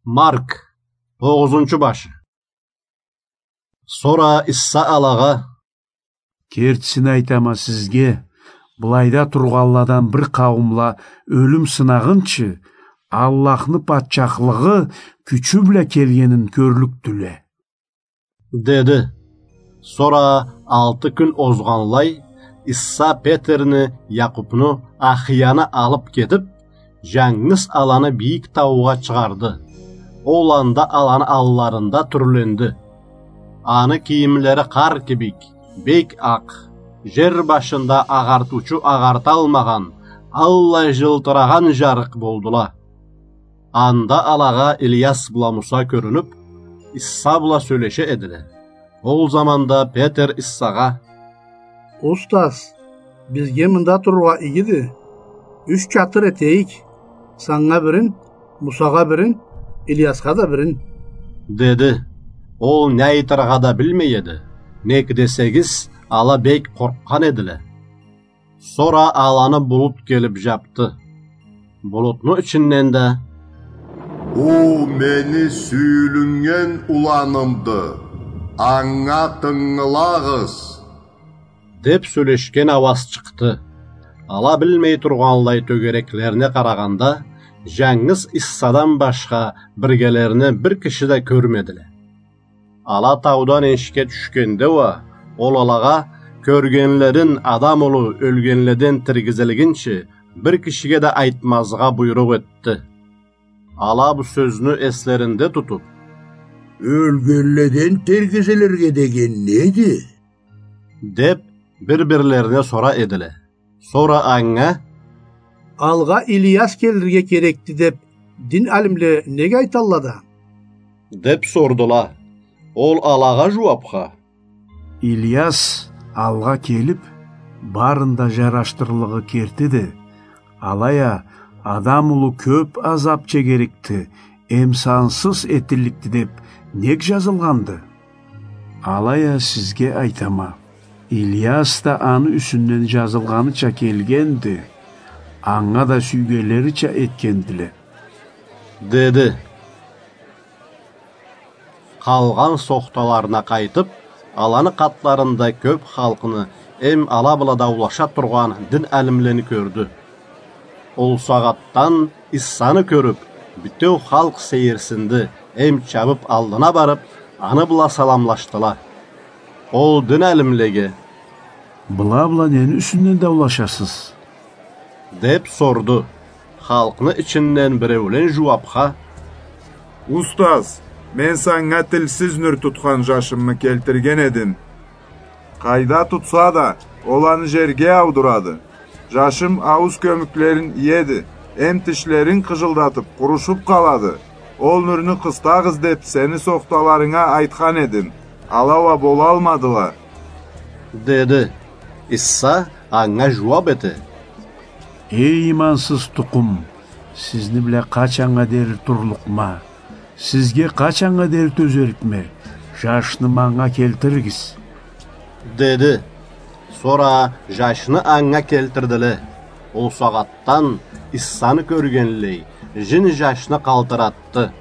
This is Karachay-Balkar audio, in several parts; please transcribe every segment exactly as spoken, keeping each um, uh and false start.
Марк, тогъузунчу башы. Сора Иса алагъа: Кертисин айтама сизге, былайда тургъанладан бир къауумла ёлюм сынагъынчы, Аллахны патчахлыгъы кючю бла келгенин кёрлюкдюле, деди. Сора алты кюн озгъанлай, Иса Петерни, Якъубну, Ахияны алып кетип, жангыз аланы бийик таугъа чыгъарды. Ол анда аланы алларында тюрленди. Аны кийимлери къар кибик бек акъ, жер башында агъартыучу агъарталмагъан, аллай жылтырагъан жарыкъ болдула. Анда алагъа Ильяс бла Муса кёрюнюп, Иса бла сёлеше эдиле. Ол заманда Петер Исагъа: Устаз, бизге мында турургъа игиди. Юч чатыр этейик: санга бирин, Мусагъа бирин, Ильясха да бирин, деди. Ол не айтыргъа да билмей эди, нек десегиз, ала бек къоркъгъан эдиле. Сора аланы булут келип жапды. Булутну ичинден да: Бу мени сюйюлюннген уланымды, анга тынгылагъыз, деп сёлешген ауаз чыкъды. Ала билмей тургъанлай тёгереклерине къарагъанда, жангыз Исадан башха биргелерине бир киши да кёрмедиле. Ала таудан энишге тюшгенде уа, ол алагъа кёргенлерин, Адам улу ёлгенледен тиргизилгинчи, бир кишиге да айтмазгъа буйрукъ этди. Ала бу сёзню эслеринде тутуп: Ёлгенледен тиргизилирге деген неди? Деп, бир-бирлерине сора эдиле. Сора анга: Алгъа Ильяс келирге керекди деп дин алимле нек айталла да? Деп сордула. Ол алагъа жууапха: Ильяс алгъа келип, барын да жарашдырлыгъы кертиди. Алай а Адам улу кёп азап чегерикди, эм сансыз этилликди деп нек жазылгъанды? Алай а сизге айтама, Ильяс да аны юсюнден жазылгъаныча келгенди, анга да сюйгенлерича этгендиле, деди. Къалгъан сохталарына къайтып, аланы къатларында кёп халкъны эм ала бла даулаша тургъан дин алимлени кёрдю. Ол сагъатдан Исаны кёрюп, бютеу халкъ сейирсинди эм чабып аллына барып, аны бла саламлашдыла. Ол дин алимлеге: Была бла нени юсюнден даулашасыз? Деп сорду. Халкъны ичинден биреулен жууапха: Устаз, мен санга тилсиз нюр тутхан жашымы келтирген эдим. Къайда тутса да, ол аны жерге аудурады. Жашым аууз кёмюклерин иеди, эм тишлерин къыжылдатып, къурушуп къалады. Ол нюрню къыстагъыз деп сени сохталарынга айтхан эдим, ала уа болалмадыла, деди. Иса анга жууап эте: Эй, имансыз тукъум, сизни бла къачаннга дери турлукъма? Сизге къачаннга дери тёзерикме? Жашны манга келтиригиз, деди. Сора жашны анга келтирдиле. Ол сагъатдан Исаны кёргенлей, жин жашны къалтыратды.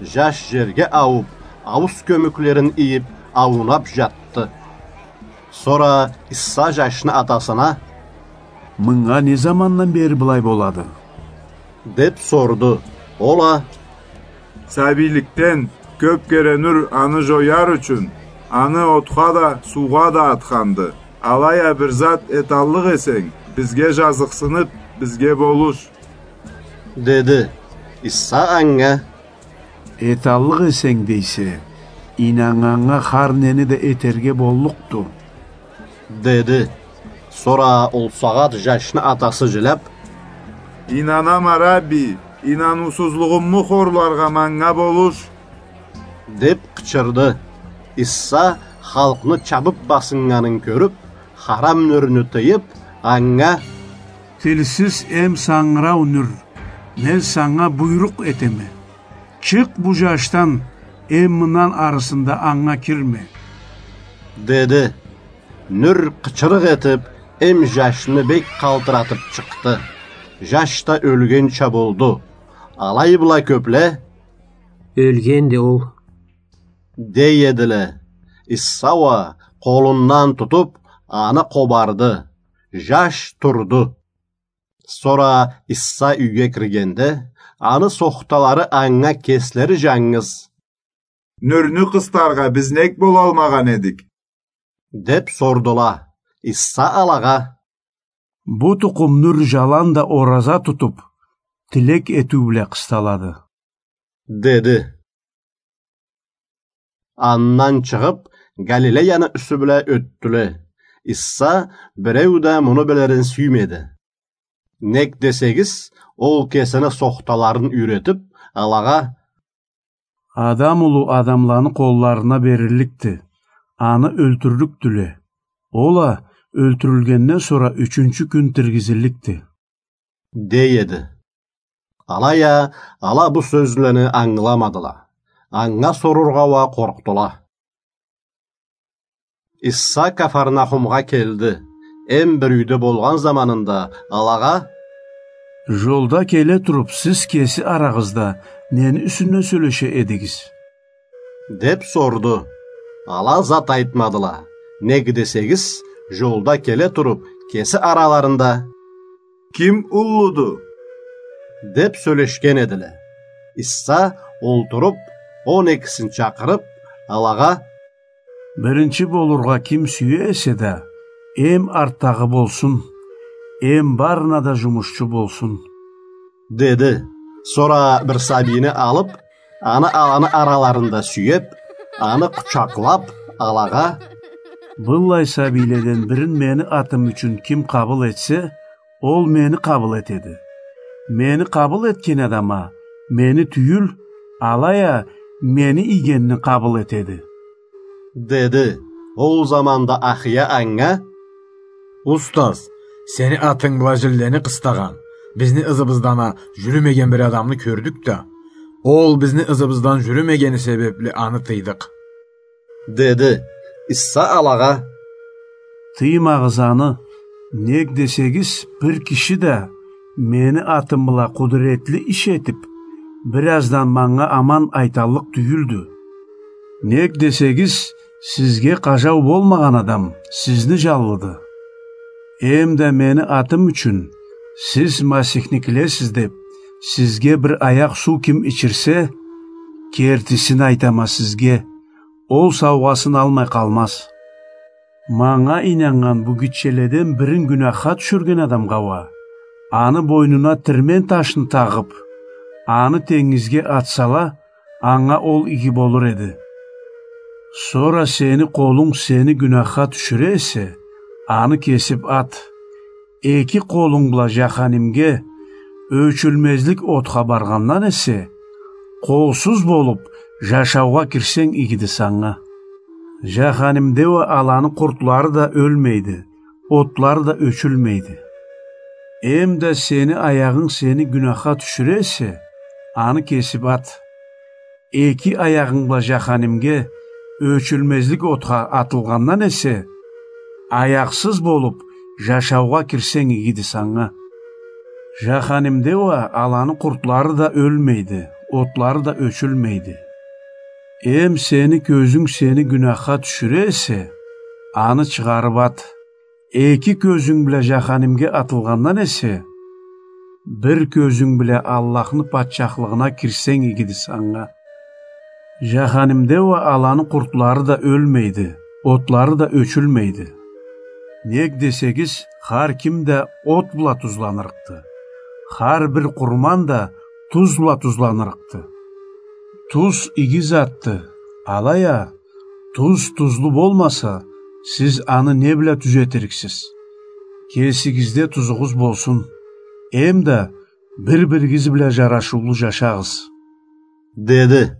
Жаш жерге аууп, аууз кёмюклерин ийип, аунап жатды. Сора Иса жашны атасына: Мынга не замандан бери былай болады? Деп сорду. Ол а: Сабийликден кёп кере нюр аны жояр ючюн, аны отха да, суугъа да атханды. Алай а бир зат эталлыкъ эсенг, бизге жазыкъсынып, бизге болуш, деди. Иса анга: Эталлыкъ эсенг дейсе, ийнаннганнга хар нени да этерге боллукъду, деди. Сора ол сагъат жашны атасы жиляп: Ийнанама, Рабби, ийнануусузлугъуму хорларгъа манга болуш, деп къычырды. Иса халкъны чабып басыннганын кёрюп, харам нюрню тыйып, анга: Тилсиз эм сангырау нюр, мен санга буйрукъ этеме. Чыкъ бу жашдан, эм мындан арысында анга кирме, деди. Нюр къычырыкъ этип, эм жашны бек къалтыратып чыкъды. Жаш да ёлгенча болду. Алай бла кёпле: Ёлгенди ол», — дей эдиле. Иса уа къолундан тутуп, аны къобарды. Жаш турду. Сора Иса юйге киргенде, аны сохталары анга кеслери жангыз: «Нюрню къыстаргъа биз нек болалмагъан эдик?» — деп сордула. Иса алагъа: «Бу тукъум нюр жаланда ораза тутуп, тилек этиу бла къысталады», — деди. Андан чыгъып, Галилеяны юсю бла ётдюле. Иса биреу да муну билирин сюймеди. Нек десегиз, ол кесини сохталарын юйретип, алагъа: «Адам улу адамланы къолларына берилликди, аны ёлтюрлюкдюле. Ол а ёлтюрюлгенден сора ючюнчю кюн тиргизилликди», — дей эди. Алай а ала бу сёзлени ангыламадыла. Анга сорургъа уа къоркъдула. Иса Кафарнахумгъа келди. Эм бир юйде болгъан заманында алагъа: «Жолда келе туруп, сиз кеси арагъызда нени юсюнден сёлеше эдигиз?» — деп сорду. Ала зат айтмадыла. Нек десегиз, жолда келе туруп, кеси араларында: «Ким уллуду?» — деп сёлешген эдиле. Иса олтуруп, он экисин чакъырып, алагъа: «Биринчи болургъа ким сюе эсе да, эм артдагъы болсун, эм барына да жумушчу болсун», — деди. Сора бир сабийни алып, аны аланы араларында сюеп, аны къучакълап, алагъа: «Быллай сабийледен бирин мени атым ючюн ким къабыл этсе, ол мени къабыл этеди. Мени къабыл этген адам а мени тюйюл, алай а мени ийгенни къабыл этеди», — деди. Ол заманда ахыя анга: «Устаз, сени атынг бла жинлени къыстагъан, бизни ызыбыздан а жюрюмеген бир адамны кёрдюк да, ол бизни ызыбыздан жюрюмегени себепли аны тыйдыкъ», — деди. Иса алагъа: «Тыймагъыз аны, нек десегиз, бир киши да мени атым бла къудуретли иш этип, бир аздан манга аман айталлыкъ тюйюлдю. Нек десегиз, сизге къажау болмагъан адам сизни жанлыды. Эм да мени атым ючюн, сиз масихникилесиз деп, сизге бир аякъ суу ким ичирсе, кертисин айтама сизге, ол саугъасын алмай къалмаз. Манга ийнаннган бу гитчеледен бирин гюнахха тюшюрген адамгъа уа, аны бойнуна тирмен ташны тагъып, аны тенгизге атсала, анга ол иги болур эди. Сора сени къолунг сени гюнахха тюшюре эсе, аны кесип ат. Эки къолунг бла жаханимге, ёчюлмезлик отха баргъандан эсе, къолсуз болуп, жашаугъа кирсенг игиди санга. Жаханимде уа аланы къуртлары да ёлмейди, отлары да ёчюлмейди. Эм да сени аягъынг сени гюнахха тюшюре эсе, аны кесип ат. Эки аягъынг бла жаханимге, ёчюлмезлик отха атылгъандан эсе, аякъсыз болуп, жашаугъа кирсенг игиди санга. Жаханимде уа аланы къуртлары да ёлмейди, отлары да ёчюлмейди. Эм сени кёзюнг сени гюнахха тюшюре эсе, аны чыгъарып ат. Эки кёзюнг бла жаханимге атылгъандан эсе, бир кёзюнг бла Аллахны патчахлыгъына кирсенг игиди санга. Жаханимде уа аланы къуртлары да ёлмейди, отлары да ёчюлмейди. Нек десегиз, хар ким да от бла тузланырыкъды. Хар бир къурман да туз бла тузланырыкъды. Туз иги затды, алай а, туз тузлу болмаса, сиз аны не бла тюзетириксиз? Кесигизде тузугъуз болсун, эм да бир-биригиз бла жарашыулу жашагъыз», — деди.